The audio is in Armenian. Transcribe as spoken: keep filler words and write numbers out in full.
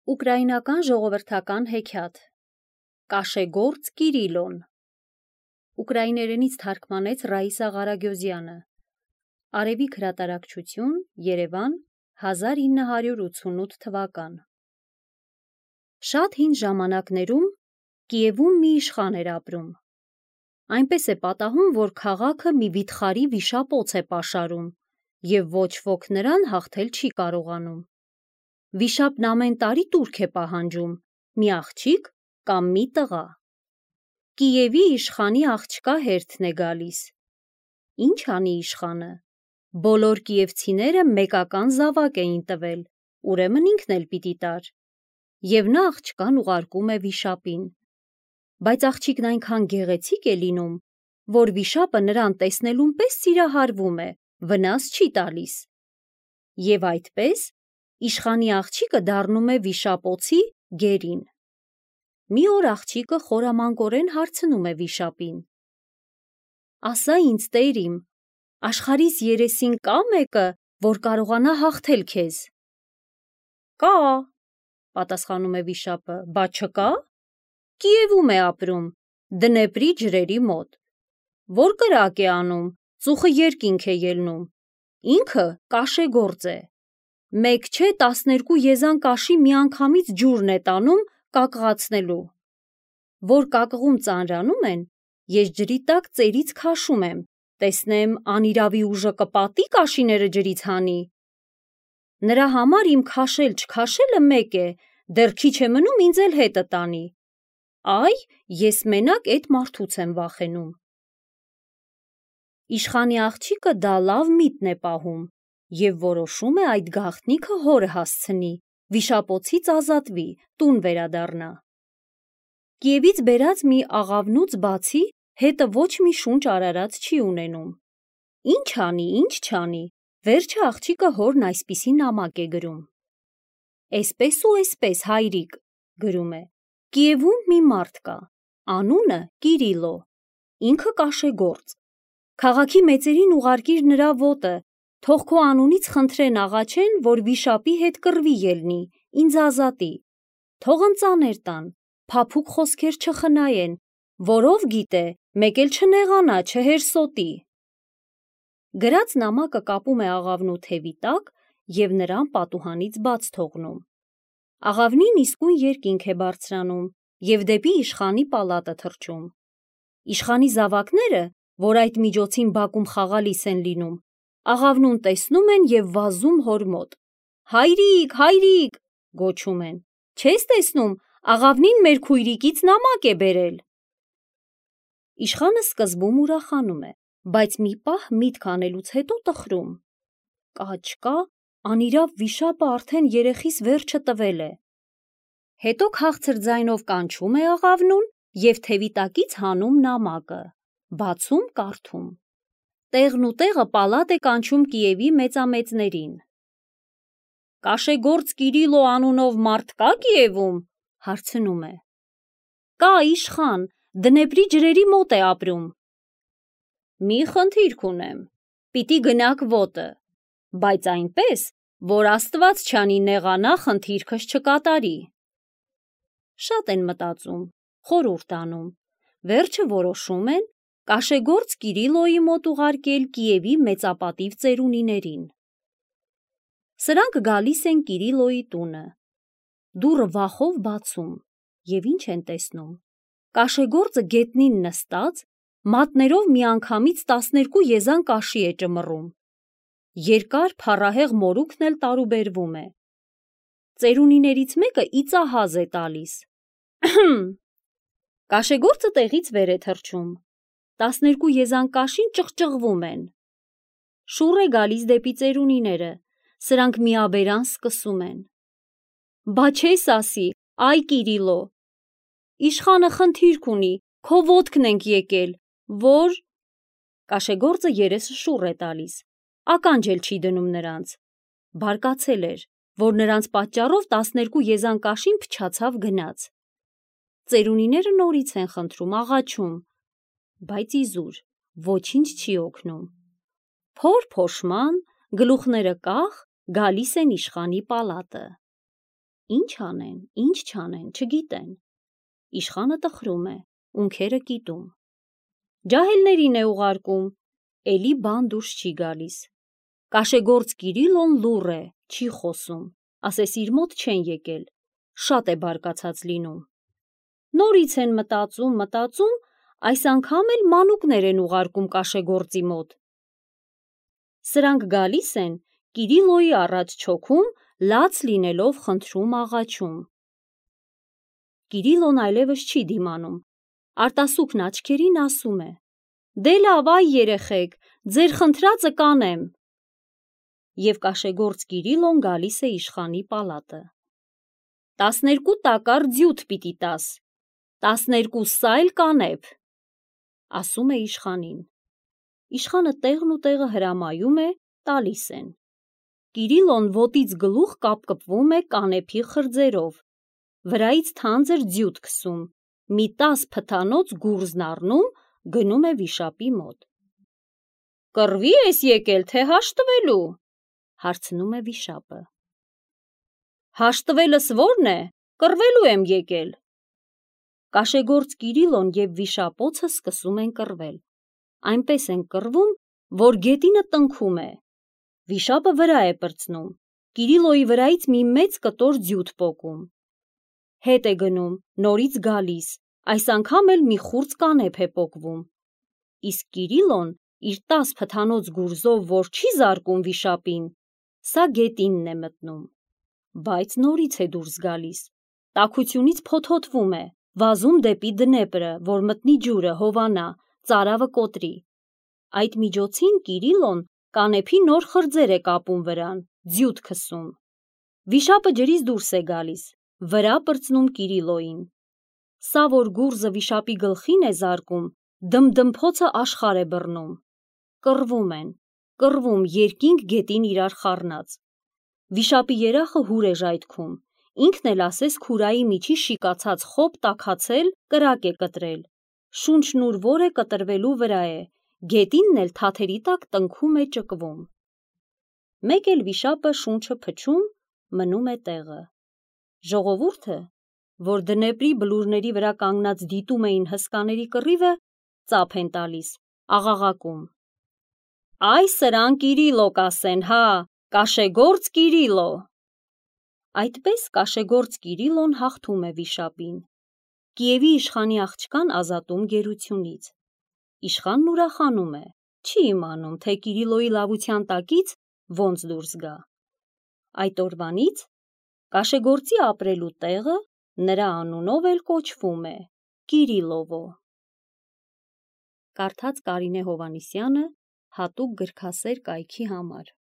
Ուկրաինական ժողովրդական հեքիաթ Կաշեգործ Կիրիլոն Ուկրաիներենից թարգմանեց Ռաիսա Ղարագյոզյանը Արևիկ հրատարակչություն Երևան հազար ինը հարյուր ութսունութ թվական Շատ հին ժամանակներում Կիևում մի իշխան էր ապրում Այնպես է պատահում, որ քաղաքը մի վիթխարի վիշապոց է պաշարում և ոչ ոք նրան հաղթել չի կարողանում Վիշապն ամեն տարի տուրք է պահանջում, մի աղջիկ կամ մի տղա։ Կիևի իշխանի աղջկա հերթն է գալիս։ Ինչ անի իշխանը։ Բոլոր կիևցիները մեկական զավակ էին տվել, ուրեմն ինքն էլ պիտի տար։ Եվ նա աղջկան ուղարկում է վիշապին։ Բայց աղջիկն այնքան գեղեցիկ է լինում, որ վիշապը նրան տեսնելուն պես սիրահարվում է, վնաս չի տալիս։ Եվ այդպես Իշխանի աղջիկը դառնում է վիշապոցի գերին։ Մի օր աղջիկը խորամանկորեն հարցնում է վիշապին. Ասա ինձ տեր իմ, աշխարհիս երեսին կա մեկը, որ կարողանա հաղթել քեզ։ Կա, պատասխանում է վիշապը, բա չկա։ Կիևում է ապրում, Դնեպրի ջրերի մոտ։ Որ կրակ է անում, ծուխը երկինք է ելնում։ Ինքը կաշեգործ է։ Մեկ չէ տասներկու եզան կաշի միանգամից ջուրն է տանում կակղացնելու։ Որ կակղում ծանրանում են, ես ջրի տակ ծերից քաշում եմ, տեսնեմ անիրավի ուժը կպատի կաշիները ջրից հանի։ Նրա համար իմ քաշել-չքաշելը մեկ է, դեռ քիչ է մնում ինձ էլ հետը տանի։ Այ, ես մենակ էդ մարդուց եմ վախենում։ Իշխանի աղջիկը դա լավ միտն է պահում և որոշում է այդ գաղտնիքը հորը հասցնի, վիշապոցից ազատվի, տուն վերադառնա։ Կիևից բերած մի աղավնուց բացի հետը ոչ մի շունչ արարած չի ունենում։ Ինչ անի, ինչ չանի, վերջը աղջիկը հորն այսպիսի նամակ է գրում. Էսպես ու էսպես հայրիկ, գրում է, Կիևում մի մարդ կա, անունը Կիրիլո, ինքը կաշեգործ։ Քաղաքի մեծերին ուղարկիր նրա ոտը, թող քո անունից խնդրեն աղաչեն, որ վիշապի հետ կռվի ելնի, ինձ ազատի, թող ընծաներ տան, փափուկ խոսքեր չխնայեն, որով գիտե, մեկ էլ չնեղանա, չհերսոտի։ Գրած նամակը կապում է աղավնու թևի տակ և նրան պատուհանից բաց թողնում։ Աղավնին իսկույն երկինք է բարձրանում և դեպի իշխանի պալատը թռչում։ Իշխանի զավակները, որ այդ միջոցին բակում խաղալիս են լինում, աղավնուն տեսնում են և վազում հոր մոտ։ Հայրիկ, հայրիկ, գոչում են, չես տեսնում, աղավնին մեր քույրիկից նամակ է բերել։ Իշխանը սկզբում ուրախանում է, բայց մի պահ միտք անելուց հետո տխրում։ Կաչ-կա, անիրավ վիշապը արդեն երեխիս վերջը տվել է։ Հետո քաղցր ձայնով կանչում է աղավնուն և թևի տակից հանում նամակը, բացում կարդում։ Տեղն ու տեղը պալատ է կանչում Կիևի մեծամեծներին։ Կաշեգործ Կիրիլո անունով մարդ կա Կիևում, հարցնում է։ Կա իշխան, Դնեպրի ջրերի մոտ է ապրում։ Մի խնդիրք ունեմ, պիտի գնաք ոտը, բայց այնպես, որ Աստված չանի նեղանա խնդիրքս չկատարի։ Շատ են մտածում, խորհուրդ անում, վերջը որոշում են Կաշեգործ Կիրիլոյի մոտ ուղարկել Կիևի մեծապատիվ ծերունիներին։ Սրանք գալիս են Կիրիլոյի տունը։ Դուռը վախով բացում և ինչ են տեսնում։ Կաշեգործը գետնին նստած, մատներով միանգամից տասներկու եզան կաշի է ճմռում։ Երկար փառահեղ մորուքն էլ տարուբերվում է։ Ծերունիներից մեկը իծահազ է տալիս։ Կաշեգործը տեղից վեր է թռչում։ Տասներկու եզան կաշին ճղճղվում են։ Շուռ է գալիս դեպի ծերունիները, սրանք միաբերան սկսում են։ Բա չես ասի, այ Կիրիլո, իշխանը խնդիրք ունի, քո ոտքն ենք եկել, որ… Կաշեգործը երեսը շուռ է տալիս, ականջ էլ չի դնում նրանց։ Բարկացել էր, որ նրանց պատճառով տասներկու եզան կաշին փչացավ գնաց։ Ծերունիները նորից են խնդրում, աղաչում, բայց իզուր, ոչինչ չի օգնում։ Փոր-փոշման, գլուխները կախ, գալիս են իշխանի պալատը։ Ինչ անեն, ինչ չանեն, չգիտեն։ Իշխանը տխրում է, ունքերը կիտում։ Ջահելներին է ուղարկում, էլի բան դուրս չի գալիս։ Կաշեգործ Կիրիլոն լուռ է, չի խոսում, ասես իր մոտ չեն եկել, շատ է բարկացած լինում։ Նորից են մտածում, մտածում, այս անգամ էլ մանուկներ են ուղարկում կաշեգործի մոտ։ Սրանք գալիս են, Կիրիլոյի առաջ չոքում, լաց լինելով խնդրում աղաչում։ Կիրիլոն այլևս չի դիմանում, արտասուքն աչքերին ասում է. «Դե լավ, այ երեխեք, ձեր խնդրածը կանեմ»։ Եվ կաշեգործ Կիրիլոն գալիս է իշխանի պալատը։ «Տասներկու տակառ ձյութ պիտի տաս, տասներկու սայլ կանեփ», ասում է իշխանին։ Իշխանը տեղն ու տեղը հրամայում է, տալիս են։ Կիրիլոն ոտից գլուխ կապկպվում է կանեփի խրձերով, վրայից թանձր ձյութ քսում, մի տաս փթանոց գուրզն առնում, գնում է վիշապի մոտ։ «Կռվի ես եկել, թե հաշտվելու», հարցնում է վիշապը։ «Հաշտվելս ո՞րն է, կռվելու եմ եկել»։ Կաշեգործ Կիրիլոն և վիշապոցը սկսում են կռվել։ Այնպես են կռվում, որ գետինը տնքում է։ Վիշապը վրա է պրծնում, Կիրիլոյի վրայից մի մեծ կտոր ձյութ պոկում։ Հետ է գնում, նորից գալիս, այս անգամ էլ մի խուրձ կանեփ է պոկվում։ Իսկ Կիրիլոն իր տաս փթանոց գուրզով, որ չի զարկում վիշապին, սա գետինն է մտնում։ Բայց նորից է դուրս գալիս, տաքությունից փոթոթվում է, վազում դեպի Դնեպրը, որ մտնի ջուրը, հովանա, ծարավը կոտրի։ Այդ միջոցին Կիրիլոն կանեփի նոր խրձեր է կապում վրան, ձյութ քսում։ Վիշապը ջրից դուրս է գալիս, վրա պրծնում Կիրիլոյին։ Սա որ գուրզը վիշապի գլխին է զարկում, դմդմփոցը աշխարհ է բռնում։ Կռվում են, կռվում երկինք գետին իրար խառնած։ Վիշապի երախը հուր է ժայթքում, ինքն էլ ասես քուրայի միջի շիկացած խոբ տաքացել, կրակ է կտրել, շունչն ուր որ է կտրվելու վրա է, գետինն էլ թաթերի տակ տնքում է, ճկվում։ Մեկ էլ վիշապը շունչը փչում, մնում է տեղը։ Ժողովուրդը, որ Դնեպրի բլուրների վրա կանգնած դիտում էին հսկաների կռիվը, ծափ են տալիս, աղաղակում. «Այ սրան Կիրիլո կասեն, հա, կաշեգործ Կիրիլո»։ Այդպես կաշեգործ Կիրիլոն հաղթում է վիշապին, Կիևի իշխանի աղջկան ազատում գերությունից։ Իշխանն ուրախանում է, չի իմանում, թե Կիրիլոյի լավության տակից ոնց դուրս գա։ Այդ օրվանից կաշեգործի ապրելու տեղը նրա անունով էլ կոչվում է Կիրիլովո։ Կարդաց Կարինե Հովհաննիսյանը հատուկ գրքասեր կայքի համար։